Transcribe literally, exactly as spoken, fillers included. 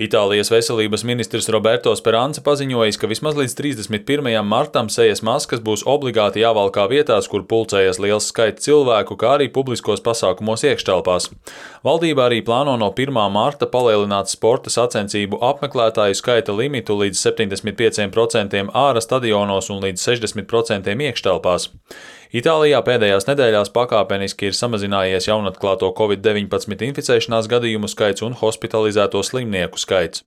Itālijas veselības ministrs Roberto Speranza paziņojis, ka vismaz līdz trīsdesmit pirmajam martam sejas maskas būs obligāti jāvalkā vietās, kur pulcējas liels skaits cilvēku, kā arī publiskos pasākumos iekštelpās. Valdība arī plāno no pirmā marta palielināt sporta sacensību apmeklētāju skaita limitu līdz septiņdesmit pieciem procentiem ārā stadionos un līdz sešdesmit procentiem iekštelpās. Itālijā pēdējās nedēļās pakāpeniski ir samazinājies jaunatklāto covid deviņpadsmit inficēšanās gadījumu skaits un hospitalizēto slimnieku skaits.